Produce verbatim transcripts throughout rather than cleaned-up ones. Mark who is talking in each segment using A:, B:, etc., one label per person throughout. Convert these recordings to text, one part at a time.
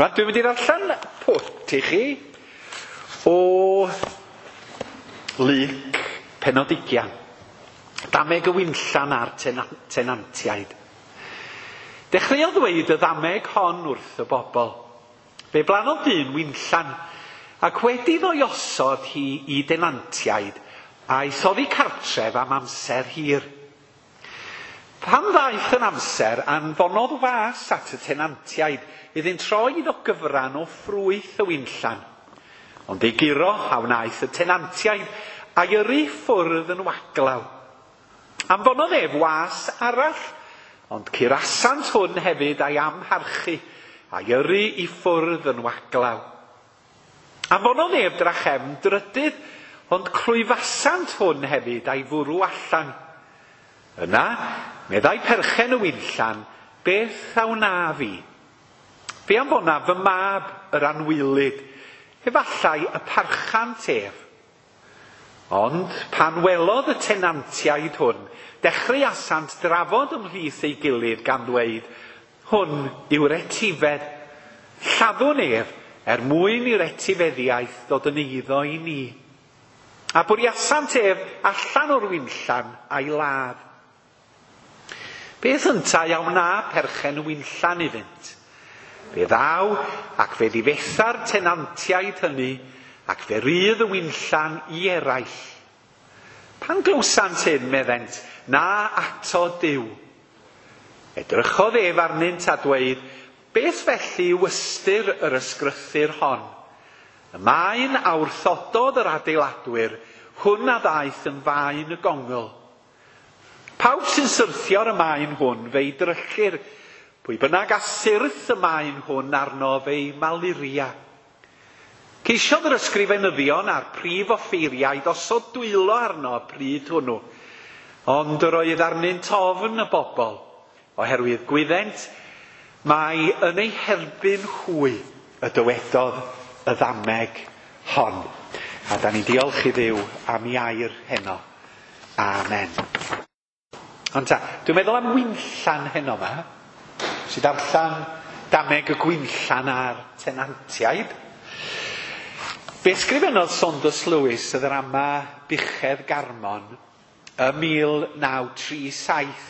A: Rwan, dwi'n mynd i ddarllen pwt i chi o Luc pennod ugian. Dameg y winllan a'r tenantiaid. Dechreuodd ddweud y ddameg hon wrth y bobl. Fe blannodd dyn winllan, ac wedi iddo osod hi i denantiaid, aeth oddi cartref am amser hir. Pan ddaeth yn amser, anfonodd was at y tenantiaid iddynt roi iddo gyfran o ffrwyth y winllan. Ond ei guro a wnaeth y tenantiaid a'i yrru ffwrdd yn waglaw. Anfonodd ef was arall, ond curasant hwn hefyd a'i amharchu, a'i yrru i ffwrdd yn waglaw. Anfonodd ef drachefn drydydd, ond clwyfasant hwn hefyd a'i fwrw allan. Yna, meddai perchen y winllan, beth a wna fi? Fe anfona fy mab yr anwylyd, efallai y parchant ef. Ond pan welodd y tenantiaid hwn, dechreuasant drafod ymhlith ei gilydd gan ddweud, hwn yw'r etifedd. Lladdwn ef er mwyn i'r etifeddiaeth ddod yn eiddo i ni. A bwriasant ef allan o'r winllan a'i ladd. Beth yntau a wna perchen y winllan iddynt? Fe ddaw ac fe ddifetha'r tenantiaid hynny ac fe rydd y winllan i eraill. Pan glywsant hyn, meddent, na ato Duw. Edrychodd ef arnynt a dweud, beth felly yw ystyr yr ysgrythur hon? Y maen a wrthododd yr adeiladwyr, hwn a ddaeth yn faen y gongl. Pawb sy'n syrthio ar y maen hwn fe'i dryllir, pwy bynnag a syrth y maen hwn arno fe'i maluria. Ceisiodd yr ysgrifenyddion a'r prif offeiriaid osod dwylo arno y pryd hwnnw, ond yr oedd arnynt ofn y bobl, oherwydd gwyddent mai yn ei herbyn hwy y dywedodd y ddameg hon. A da ni'n diolch i Dduw am ei air heno. Amen. Ond ta, dwi'n meddwl am winllan heno yma, sydd darllen dameg y gwinllan a'r tenantiaid. Fe ysgrifennodd Saunders Lewis y ddrama Buchedd Garmon ym mil naw tri saith,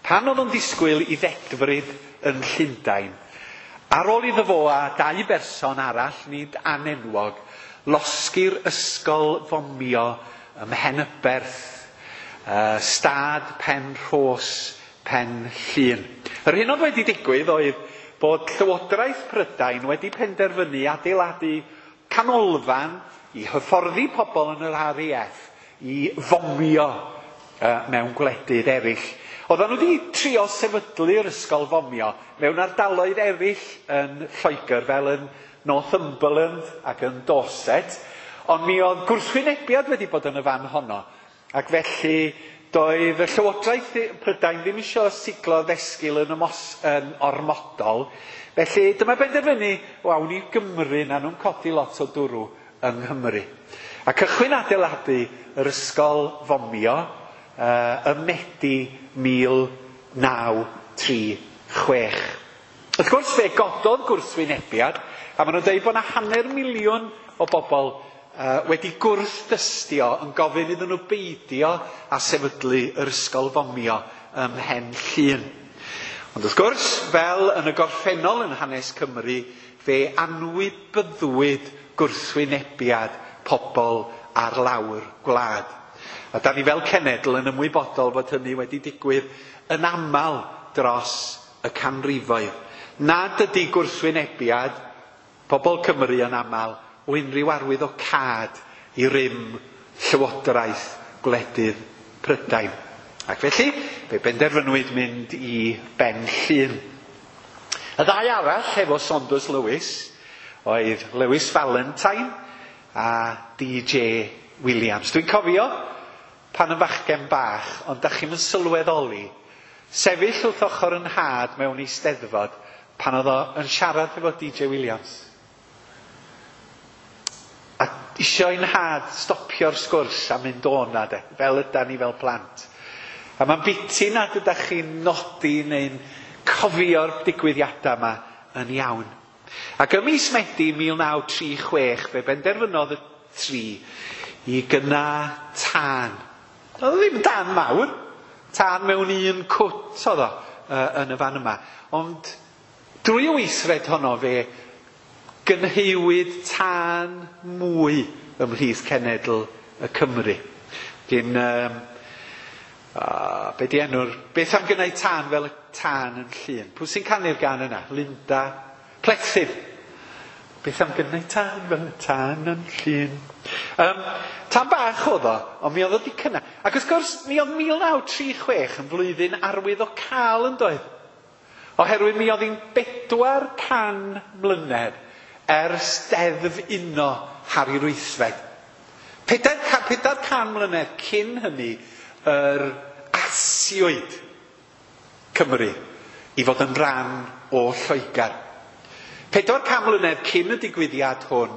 A: pan oedd o'n disgwyl i ddedfryd yn Llundain. Ar ôl iddo fo a dau berson arall, nid anenwog, losgi'r ysgol fomio ym Mhenyberth, uh, stad Pen Rhos, Pen Llŷn. Yr hyn oedd wedi digwydd oedd bod Llywodraeth Prydain wedi penderfynu adeiladu canolfan i hyfforddi pobl yn yr R A F i fomio uh, mewn gwledydd eraill. Oedden nhw wedi trio sefydlu'r ysgol fomio mewn ardaloedd eraill yn Lloegr, fel yn Northumberland ac yn Dorset, ond mi oedd gwrthwynebiad wedi bod yn y fan honno, ac felly doedd y Llywodraeth Prydain ddim eisiau siglo ddesgil yn, ymos, yn ormodol. Felly dyma benderfynu, wawn i Gymru, na nhw'n codi lot o dwrw yng Nghymru. A cychwyn adeiladu yr ysgol fomio uh, ym Medi mil naw tri chwech. Wrth gwrs fe gododd gwrthwynebiad, a maen nhw'n dweud bod yna hanner miliwn o bobl uh, wedi gwrthdystio yn gofyn iddyn nhw beidio a sefydlu yr ysgol fomio ym Mhen Llŷn. Ond wrth gwrs, fel yn y gorffennol yn hanes Cymru, fe anwybyddwyd gwrthwynebiad pobl ar lawr gwlad. A da ni fel cenedl yn ymwybodol fod hynny wedi digwydd yn aml dros y canrifoedd. Nad ydy gwrthwynebiad pobl Cymru yn aml o unrhyw arwydd o cad i rym llywodraeth gwledydd Prydain. Ac felly, fe benderfynwyd mynd i Ben Llŷn. Y ddau arall efo Saunders Lewis oedd Lewis Valentine a D J Williams. Dwi'n cofio pan yn fachgen bach, ond da chi'm yn sylweddoli, sefyll wrth ochr yn nhad mewn eisteddfod pan oedd o yn siarad efo D J Williams. A isio i'n nhad stopio'r sgwrs a mynd o na de, fel ydan ni fel plant. A mae'n biti nad ydych chi'n nodi neu'n cofio'r digwyddiadau yma yn iawn. Ac ym mis Medi mil naw tri chwech fe benderfynodd y tri i gynna tân. Oedd o ddim tân mawr, tân mewn un cwt oedd o uh, yn y fan yma. Ond drwy y weithred honno fe gynheuwyd tân mwy ymhlith cenedl y Cymru. Dyn, um, uh, be di enw'r, beth am gynnau tân fel y tân yn Llŷn? Pwy sy'n canu'r gan yna? Linda Plethyn. Beth am gynnau tân fel y tân yn Llŷn? Um, tan bach oedd o, ond mi oedd o di cynna. Ac wrth gwrs, mi oedd mil naw tri chwech yn flwyddyn arwydd o cael yn doedd. Oherwydd mi oedd hi'n bedwar can mlynedd ers deddf uno Harri'r Wythfed. Pedair, pedair can mlynedd cyn hynny yr asiwyd Cymru i fod yn rhan o Lloegr. Pedwar can mlynedd cyn y digwyddiad hwn,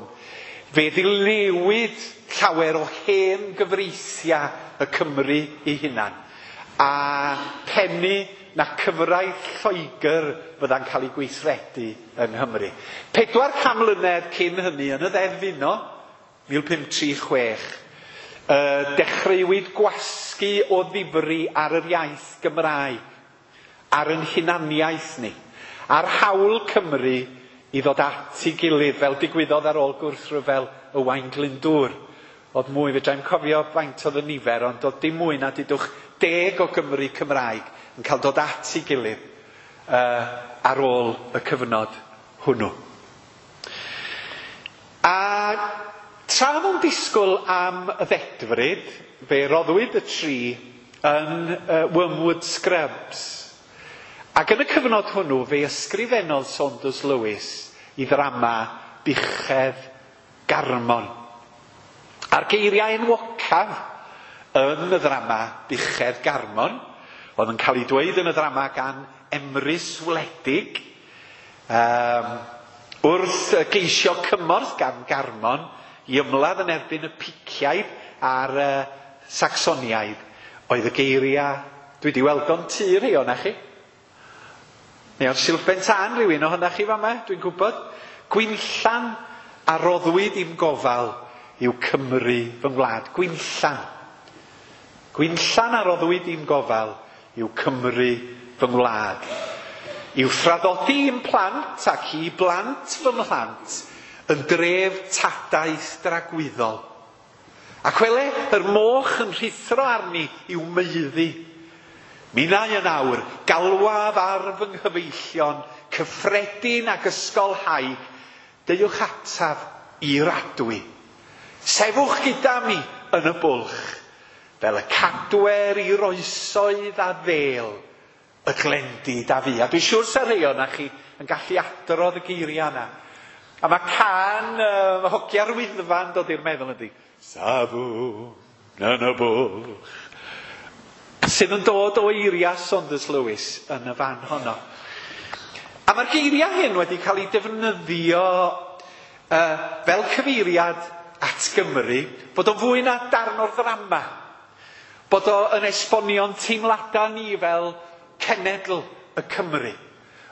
A: fe ddilewyd llawer o hen gyfreithiau y Cymru ei hunan, a pennu na cyfraith Lloegr fydda'n cael ei gweithredu yng Nghymru. Pedwar can mlynedd cyn hynny yn y ddeddf uno, mil pump tri chwech, uh, dechreuwyd gwasgu o ddifri ar yr iaith Gymraeg, ar yn hunaniaeth ni, ar hawl Cymru i ddod at ei gilydd fel digwyddodd ar ôl gwrthryfel Owain Glyndŵr. Oedd mwy, fedrai'm cofio faint oedd y nifer, ond oedd dim mwy na dudwch deg o Gymru Cymraeg yn cael dod at ei gilydd uh, ar ôl y cyfnod hwnnw. A tra nhw'n disgwyl am y ddedfryd, fe roddwyd y tri yn uh, Wormwood Scrubs. Ac yn y cyfnod hwnnw, fe ysgrifennodd Saunders Lewis i ddrama Buchedd Garmon. A'r geiriau enwocaf yn y ddrama Buchedd Garmon, oedd yn cael ei dweud yn y ddrama gan Emrys Wledig, um, wrth geisio cymorth gan Garmon i ymladd yn erbyn y Piciaid a'r uh, Sacsoniaid, oedd y geiriau, dwi wedi weld o'n tŷ rhai o'na chi. Neu o'r silff tân rhywun ohonoch chi fama, dwi'n gwybod. Gwinllan a roddwyd i'm gofal yw Cymru fy ngwlad. Gwinllan. Gwinllan a roddwyd i'm gofal yw Cymru fy ngwlad. I'w thraddodi i'm plant ac i blant fy mhlant yn dref tadaeth dragwyddol. Ac wele, yr moch yn rhuthro arni i'w maeddu. Minnau yn awr, galwaf ar fy nghyfeillion, cyffredin ac ysgolhaig, deuwch ataf i'r adwy. Sefwch gyda mi yn y bwlch, fel y cadwer i'r oesoedd a ddêl, y glendid a fi. A dwi'n siŵr sa rhai o'na chi yn gallu adrodd y geiriau yna. A mae can uh, hogia'r Wyddfa'n dod i'r meddwl ydy. Safwn yn y bwlch. Sydd yn dod o eiriau Saunders Lewis yn y fan honno. A mae'r geiriau hyn wedi cael eu defnyddio uh, fel cyfeiriad at Gymru, bod o'n fwy na darn o'r ddrama. Bod o'n esbonio'n teimladau ni fel cenedl y Cymru.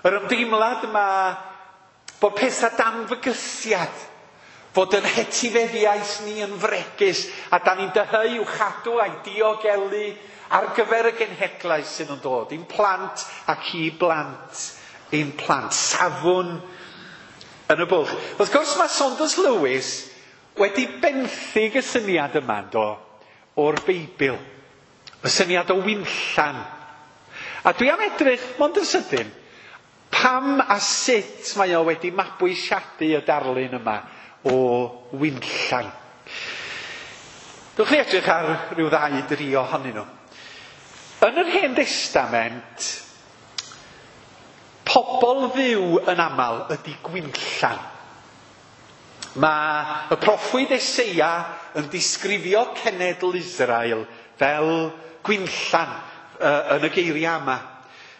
A: Yr ymdeimlad yma bod pethau dan fygythiad, fod yn hetifeddiaeth ni yn fregus, a dan ni'n dyheu i'w chadw a'i diogelu ar gyfer y genhedlaeth sydd yn dod, i'n plant ac i blant ein plant. Safwn yn y bwlch. Wrth gwrs mae Saunders Lewis wedi benthyg y syniad yma do, o'r Beibl. Y syniad o winllan. A dwi am edrych, mond yn sydyn, pam a sut mae o wedi mabwysiadu y darlun yma o winllan. Dwch chi edrych ar ryw ddau dri ohonyn nhw. Yn yr Hen Destament, pobl Dduw yn aml ydy gwinllan. Mae y proffwyd Eseia yn disgrifio cenedl Israel fel gwinllan uh, yn y geiriau yma.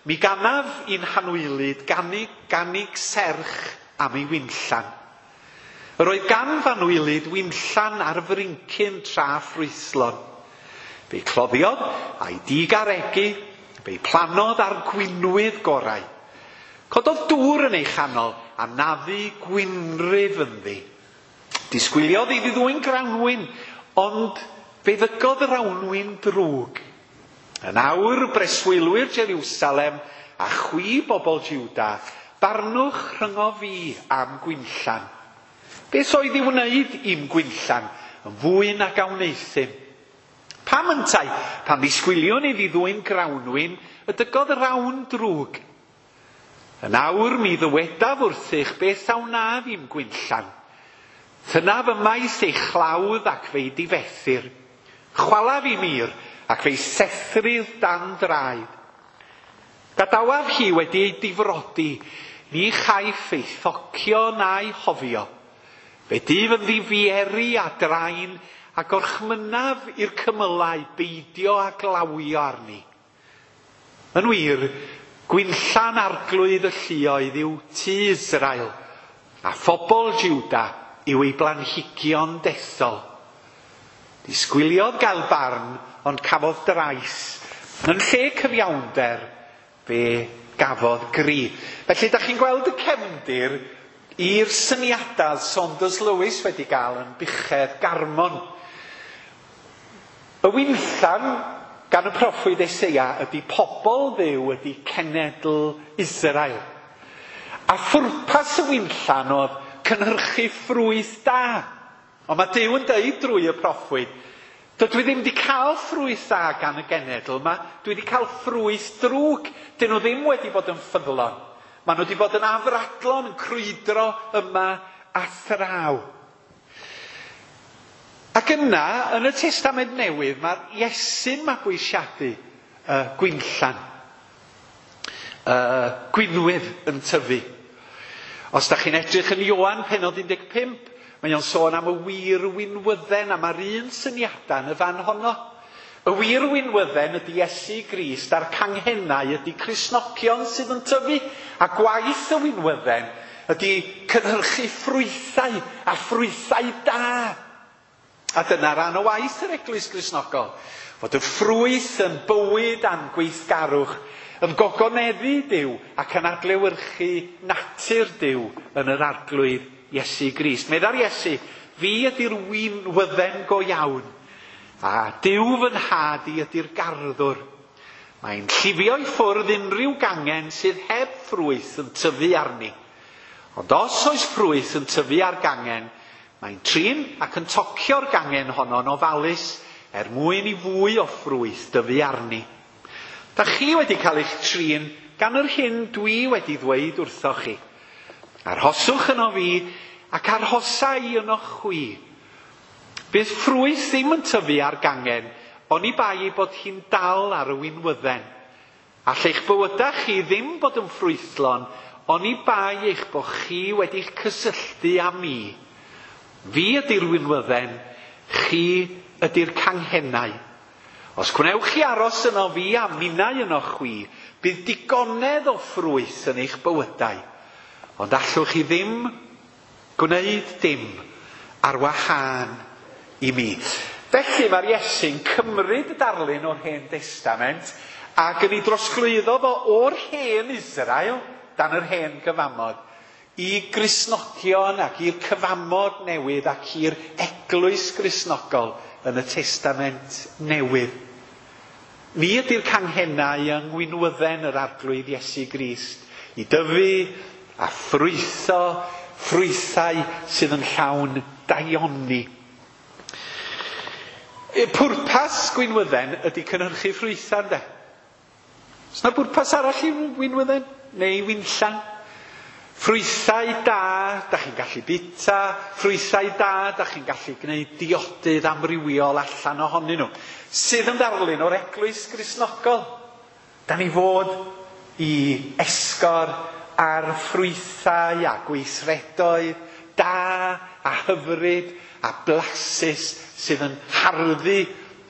A: Mi ganaf i'n hanwylyd ganig, ganig serch am ei winllan. Yr oedd gan fanwylyd winllan ar frincyn tra ffrwythlon. Fe'i cloddiodd a'i digaregu, fe'i plannodd ar gwinwydd gorau. Cododd dŵr yn ei chanol a naddu gwynrif ynddi. Disgwyliodd iddi ddwyn grawnwin, ond fe ddygodd yr awnwin drwg. Yn awr breswylwyr Jerusalem a chwi bobl Juda, barnwch rhyngo fi am gwinllan. Beth oedd i wneud i'm gwinllan yn fwy nag a wneuthum? Pam yntau, pan ddisgwyliwn iddi ddwyn grawnwin, y dygodd yr awn drwg. Yn awr mi ddywedaf wrthych beth a wnaf i'm gwinllan. Thynaf ymaith ei chlawdd ac fe'i difethir. Chwalaf i mir ac fe'i sethrir dan draed. Gadawaf hi wedi ei difrodi, ni chaiff ei thocio na'i hofio. Fe dyf yn ddifieri a draen a gorchmynaf i'r cymylau beidio a glawio arni. Yn wir, gwinllan arglwydd y lluoedd yw tŷ Israel, a phobl Juda yw ei blanhigion dethol. Disgwyliodd gael barn, ond cafodd drais. Yn lle cyfiawnder, fe gafodd gri. Felly, da chi'n gweld y cefndir i'r syniadau Saunders Lewis wedi gael yn buchedd Garmon. Y winllan gan y proffwyd Eseia ydy pobl Dduw, ydy cenedl Israel. A phwrpas y winllan oedd cynhyrchu ffrwyth da. Ond mae Duw yn deud drwy y proffwyd, dydw i ddim wedi cael ffrwyth da gan y genedl yma, dwi wedi cael ffrwyth drwg. Dyn nhw ddim wedi bod yn ffyddlon. Maen nhw wedi bod yn afradlon, yn crwydro yma a thraw. Ac yna, yn y Testament Newydd, mae'r Iesu'n mabwysiadu uh, gwinllan. Uh, gwinwydd yn tyfu. Os da chi'n edrych yn Ioan pennod un deg pump, mae o'n sôn am y wir winwydden, a mae'r un syniadau yn y fan honno. Y wir winwydden ydy Iesu Grist, a'r canghennau ydy Cristnogion sydd yn tyfu, a gwaith y winwydden ydy cynhyrchu ffrwythau, a ffrwythau da. A dyna ran o waith yr Eglwys Gristnogol, fod y ffrwyth yn bywyd a'n gweithgarwch, yn gogoneddu Duw ac yn adlewyrchu natur Duw yn yr arglwydd Iesu Grist. Meddai'r Iesu, fi ydy'r winwydden go iawn, a Duw fy nhad i ydy'r garddwr. Mae'n llifio i ffwrdd unrhyw gangen sydd heb ffrwyth yn tyfu arni. Ond os oes ffrwyth yn tyfu ar gangen, mae'n trin ac yn tocio'r gangen honno'n ofalus er mwyn i fwy o ffrwyth dyfu arni. Da chi wedi cael eich trin gan yr hyn dwi wedi ddweud wrthoch chi. Arhoswch yno fi ac arhosa i yno chwi. Bydd ffrwyth ddim yn tyfu ar gangen, oni bai ei bod hi'n dal ar y winwydden. All eich bywydau chi ddim bod yn ffrwythlon, oni bai eich bod chi wedi'ch cysylltu â mi. Fi ydy'r winwydden, chi ydy'r canghennau. Os gwnewch chi aros yno fi a minnau yno chwi, bydd digonedd o ffrwyth yn eich bywydau. Ond allwch chi ddim gwneud dim ar wahân i mi. Felly mae'r Iesu'n cymryd y darlun o'r Hen Testament ac yn ei drosglwyddo fo o'r hen Israel dan yr hen gyfamod i Gristnogion ac i'r cyfamod newydd ac i'r Eglwys Gristnogol yn y Testament Newydd. Ni ydy'r canghennau yng ngwinwydden yr Arglwydd Iesu Grist i dyfu a ffrwytho ffrwythau sydd yn llawn daioni. Pwrpas gwinwydden ydy cynhyrchu ffrwythau, ynde? Oes 'na bwrpas arall i winwydden neu winllan? Ffrwythau da, da chi'n gallu bita, ffrwythau da, da chi'n gallu gwneud diodydd amrywiol allan ohonyn nhw, sydd yn ddarlun o'r Eglwys Gristnogol. Da ni fod i esgor ar ffrwythau a gweithredoedd da a hyfryd a blasus sydd yn harddu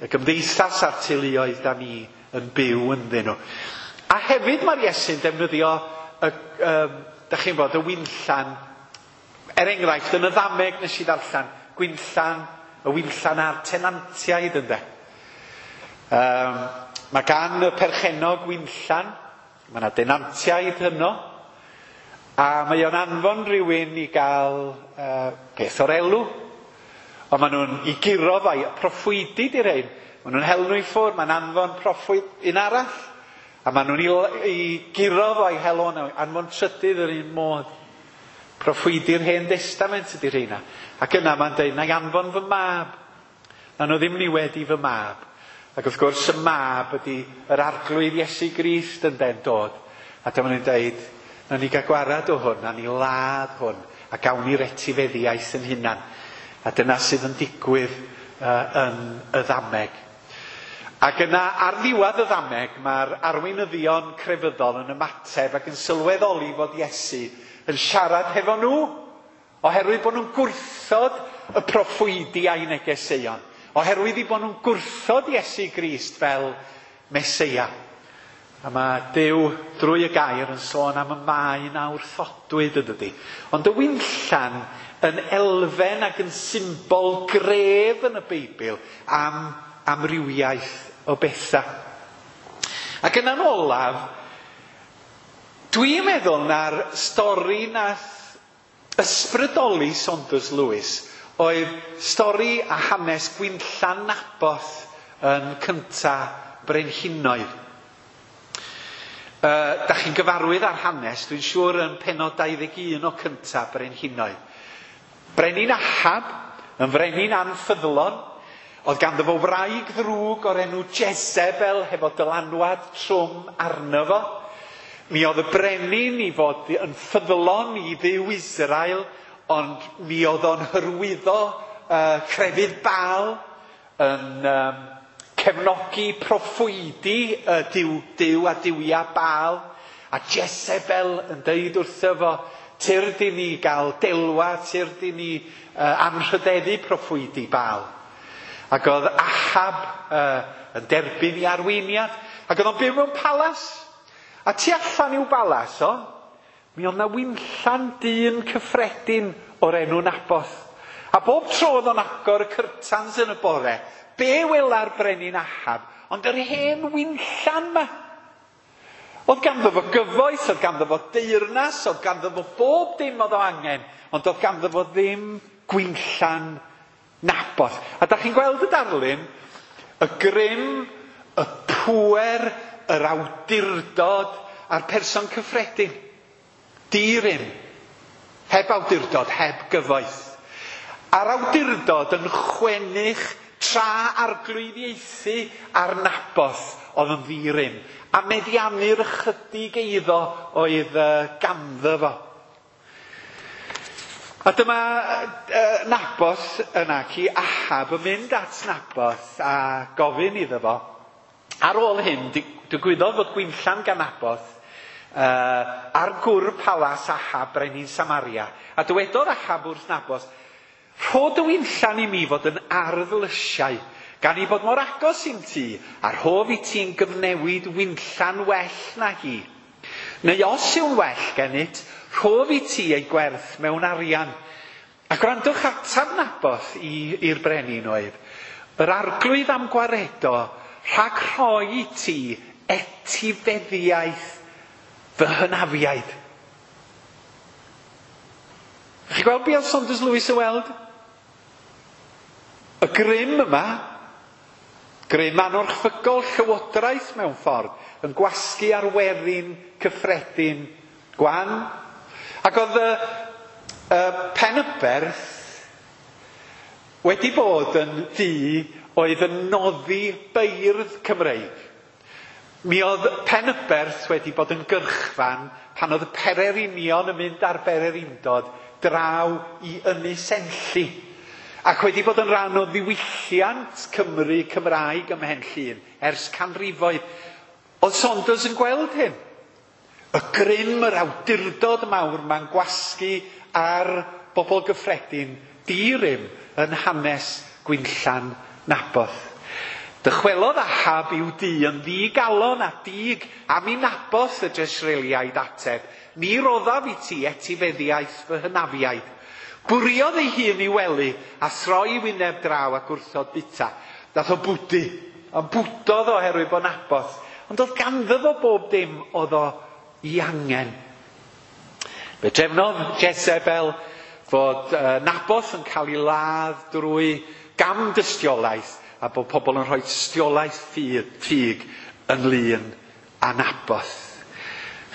A: y gymdeithas a'r teuluoedd da ni yn byw ynddyn nhw. A hefyd mae'r Iesu'n defnyddio y, um, da chi'n bod, y winllan, er enghraifft, yn y ddameg nes i ddarllen, gwinllan, y winllan a'r tenantiaid ynde. Um, mae gan y perchennog winllan, mae yna denantiaid yno, A mae o'n anfon rhywun i gael uh, peth o'r elw. Ond maen nhw'n i guro fo, proffwydi di'r rhain. Maen nhw'n hel nhw i ffwrdd, mae'n anfon proffwyd un arall. A maen nhw'n i, i guro fo i hel o'n anfon trydydd yr un modd. Proffwydi'r Hen Destament ydy'r rheina. Ac yna mae'n dweud, na i anfon fy mab. Na nhw ddim niwed i fy mab. Ac wrth gwrs y mab ydy yr Arglwydd Iesu Grist yn den dod. A dyma nhw'n dweud, na ni gael gwarad o hwn, na ni ladd hwn, a gawn ni'r etifeddiaeth yn hunan. A dyna sydd yn digwydd uh, yn y ddameg. Ac yna ar ddiwedd y ddameg, mae'r arweinyddion crefyddol yn ymateb ac yn sylweddoli fod Iesu yn siarad hefo nhw, oherwydd bod nhw'n gwrthod y proffwydi a'i negeseuon, oherwydd i bod nhw'n gwrthod Iesu Grist fel Meseia. A mae Duw drwy y gair yn sôn am y maen a wrthodwyd, yn dydi. Ond y winllan yn elfen ac yn symbol gref yn y Beibl am amrywiaeth o bethau. Ac yna'n olaf, dwi'n meddwl na'r stori nath ysbrydoli Saunders Lewis oedd stori a hanes Gwinllan Naboth yn cynta Brenhinoedd. Uh, da chi'n gyfarwydd ar hanes, dwi'n siŵr yn pennod dau ddeg un o cynta Brenhinoedd. Brenin Ahab, yn frenin anffyddlon, oedd ganddo fo wraig ddrwg o'r enw Jezebel hefo dylanwad trwm arno fo. Mi oedd y brenin i fod yn ffyddlon i Dduw Israel, ond mi oedd o'n hyrwyddo uh, crefydd Baal, yn um, cefnogi proffwydi uh, Duw, Duw a duwia Baal. A Jezebel yn deud wrtho fo, tyrd i ni gael delwa, tyrd i ni uh, anrhydeddu proffwydi Baal. Ac oedd Ahab uh, yn derbyn i arweiniad, ac oedd o'n byw mewn palas. A tu allan i'w balas o, mi oedd na winllan dyn cyffredin o'r enw Naboth. A bob tro oedd o'n agor y cyrtans yn y bore, be wela'r brenin Ahab, ond yr hen winllan ma. Oedd ganddo fo gyfoeth, oedd ganddo fo deyrnas, oedd ganddo fo bob dim oedd o angen, ond oedd ganddo fo ddim gwinllan Naboth. A da chi'n gweld y darlun, y grym, y pŵer, yr awdurdod a'r person cyffredin. Di-rym, heb awdurdod, heb gyfoeth. A'r awdurdod yn chwennych tra arglwyddiaethu ar Naboth oedd yn ddi-rym, a meddiannu'r ychydig eiddo oedd ganddo fo. A dyma uh, Naboth yna, ci Ahab yn mynd at Naboth a gofyn iddo fo. Ar ôl hyn, digwyddodd fod gwinllan gan Naboth uh, ar gwr palas Ahab, brenin Samaria. A dywedodd Ahab wrth Naboth, rho dy winllan i mi fod yn ardd lysiau, gan i bod mor agos i'm tŷ, a rhof i ti'n gyfnewid winllan well na hi. Neu os yw'n well gennyt, rhof i ti ei gwerth mewn arian. A gwrandwch atab Naboth i'r brenin oedd, yr arglwydd am gwaredo rhag rhoi i ti etifeddiaeth fy hynafiaid. Chi'n gweld be oedd Saunders Lewis yn weld? Y grym yma, grym anorchfygol llywodraeth mewn ffordd, yn gwasgu ar werin cyffredin gwan. Ac oedd y, y Penyberth wedi bod yn dŷ oedd yn noddi beirdd Cymreig. Mi oedd Penyberth wedi bod yn gyrchfan pan oedd y pererinion yn mynd ar bererindod draw i Ynys Enlli, ac wedi bod yn rhan o ddiwylliant Cymru Cymraeg ym Mhen Llŷn ers canrifoedd. Oedd Saunders yn gweld hyn. Y grym, yr awdurdod mawr ma'n gwasgu ar bobl gyffredin di-rym yn hanes gwinllan Naboth. Dychwelodd Ahab i'w dŷ yn ddigalon a dig am i Naboth y Jesreeliaid ateb, ni roddaf i ti etifeddiaeth fy hynafiaid. Bwriodd ei hun i wely a throi wyneb draw ac wrthod bita. Dath o bwdu, ond bwdodd oherwydd bod Naboth. Ond oedd ganddo fo bob dim oedd o i angen. Fe drefnodd Jezebel fod uh, Naboth yn cael ei ladd drwy gam dystiolaeth a bod pobl yn rhoi tystiolaeth ffug ynglyn â Naboth.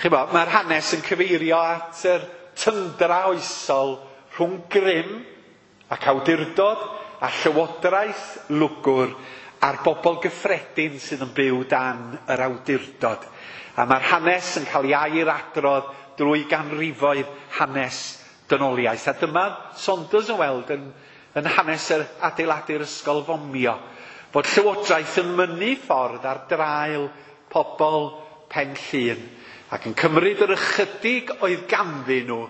A: Chi'bo, mae'r hanes yn cyfeirio at yr tyndra oesol rhwng grym ac awdurdod a llywodraeth lwgwr a'r bobl gyffredin sydd yn byw dan yr awdurdod. A mae'r hanes yn cael ei ailadrodd drwy ganrifoedd hanes dynoliaeth. A dyma Saunders yn weld yn, yn hanes yr adeiladu'r ysgol fomio, bod llywodraeth yn mynnu ffordd ar draul pobl Pen Llŷn ac yn cymryd yr ychydig oedd ganddyn nhw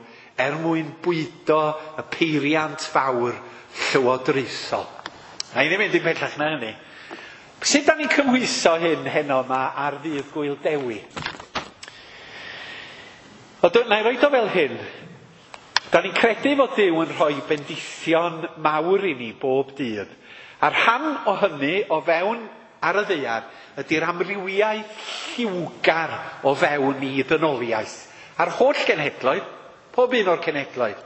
A: er mwyn bwydo y peiriant fawr llywodraethol. Na i ddim mynd i'n pellach na hynny. Sut da ni'n cymhwyso hyn heno yma ar ddydd Gŵyl Dewi? Wel, na i roed o fel hyn. Da ni'n credu fod Duw yn rhoi bendithion mawr i ni bob dydd. A rhan o hynny o fewn ar y ddaear ydy'r amrywiaeth lliwgar o fewn i ddynoliaeth. A'r holl genhedloedd, pob un o'r cenhedloedd.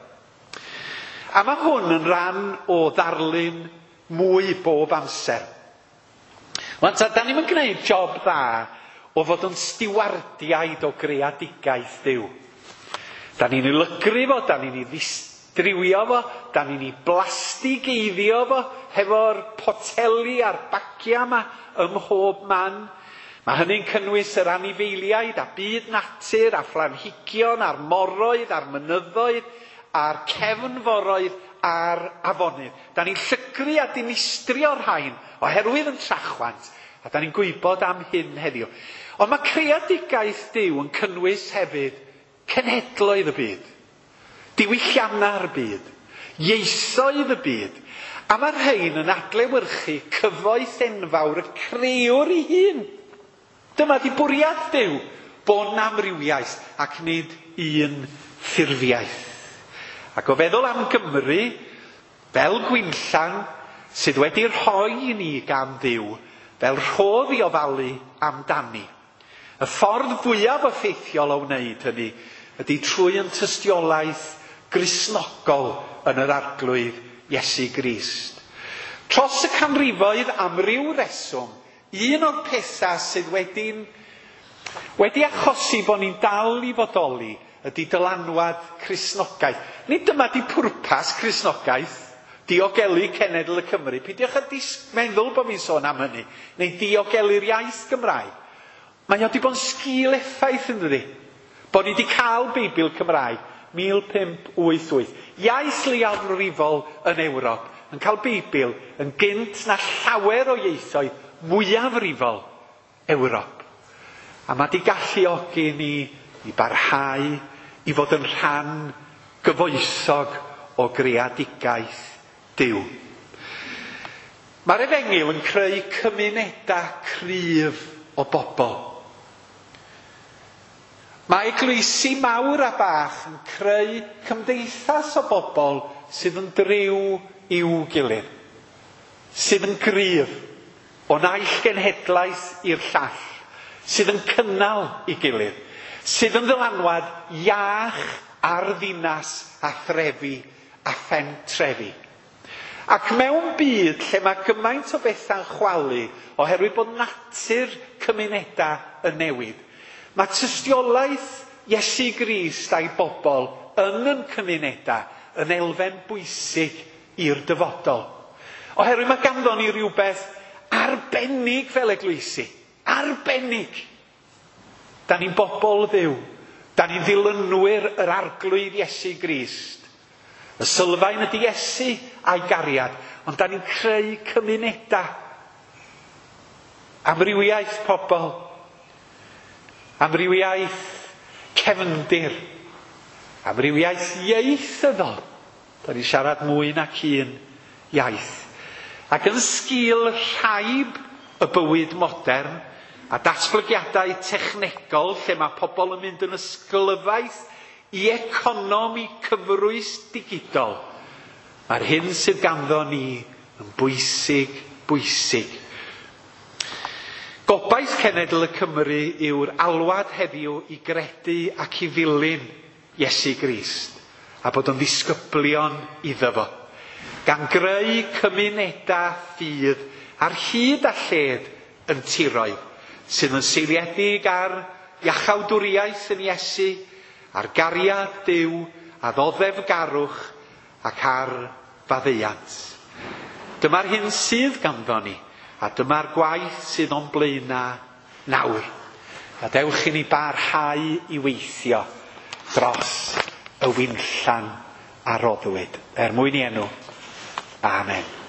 A: A mae hwn yn rhan o ddarlun mwy bob amser. Wan ta, da ni'm yn gwneud job dda o fod yn stiwardiaid o greadigaeth Duw. Da ni'n ei lygru fo, da ni'n ei ddistrywio fo, da ni'n ei blastigeiddio fo, hefo'r poteli a'r bagia yma ym mhob man. Mae hynny'n cynnwys yr anifeiliaid a byd natur a phlanhigion a'r moroedd a'r mynyddoedd a'r cefnforoedd a'r afonydd. Da ni'n llygru a dinistrio'r rhain oherwydd yn trachwant, a da ni'n gwybod am hyn heddiw. Ond mae creadigaeth Duw yn cynnwys hefyd cenhedloedd y byd, diwylliannau'r byd, ieithoedd y byd, a mae'r rhain yn adlewyrchu cyfoeth enfawr y crëwr ei hun. Dyma di bwriad Duw, bod 'na amrywiaeth ac nid un ffurfiaeth. Ac o feddwl am Gymru, fel gwinllan sydd wedi rhoi i ni gan Dduw, fel rhodd i ofalu amdani. Y ffordd fwyaf effeithiol o wneud hynny ydy trwy yn tystiolaeth Gristnogol yn yr Arglwydd Iesu Grist. Tros y canrifoedd am ryw reswm, un o'r pethau sydd wedi'n wedi achosi bod ni'n dal i fodoli ydy dylanwad Cristnogaeth. Nid dyma di pwrpas Cristnogaeth, diogelu cenedl y Cymru. Peidiwch â meddwl bod fi'n sôn am hynny, neu diogelu'r iaith Gymraeg. Mae o wedi bod yn sgil effaith yn dydi. Bod ni wedi cael Beibl Cymraeg mil pump wyth wyth. Iaith leiafrifol yn Ewrop yn cael Beibl yn gynt na llawer o ieithoedd mwyafrifol Ewrop. A mae wedi galluogi ni i barhau i fod yn rhan gyfoethog o greadigaeth Duw. Mae'r Efengyl yn creu cymunedau cryf o bobl. Mae eglwysi mawr a bach yn creu cymdeithas o bobl sydd yn driw i'w gilydd, sydd yn gryf o naill genhedlaeth i'r llall, sydd yn cynnal i gilydd, sydd yn ddylanwad iach ar ddinas a threfi a phentrefi. Ac mewn byd lle mae gymaint o bethau'n chwalu oherwydd bod natur cymunedau yn newid, mae tystiolaeth Iesu Grist a'i bobl yn yn cymunedau yn elfen bwysig i'r dyfodol. Oherwydd mae ganddo ni rhywbeth arbennig fel eglwysi. Arbennig. Da ni'n bobl Dduw. Da ni'n ddilynwyr yr Arglwydd Iesu Grist. Y sylfaen ydy Iesu a'i gariad, ond da ni'n creu cymunedau. Amrywiaeth pobl. Amrywiaeth cefndir. Amrywiaeth ieithyddol. Da ni'n siarad mwy nac un iaith. Ac yn sgil rhaib y bywyd modern a datblygiadau technegol lle mae pobl yn mynd yn ysglyfaeth i economi cyfrwys digidol, mae'r hyn sydd ganddo ni yn bwysig, bwysig. Gobaith cenedl y Cymru yw'r alwad heddiw i gredu ac i ddilyn Iesu Grist a bod yn ddisgyblion iddo fo, gan greu cymunedau ffydd ar hyd a lled yn tiroedd sydd yn seiliedig ar iachawdwriaeth yn Iesu, ar gariad Duw, a ddoddefgarwch ac ar faddeuant. Dyma'r hyn sydd ganddo ni, a dyma'r gwaith sydd o'n blaenau nawr. A dewch i ni barhau i weithio dros y winllan a roddwyd. Er mwyn i enw. Amen.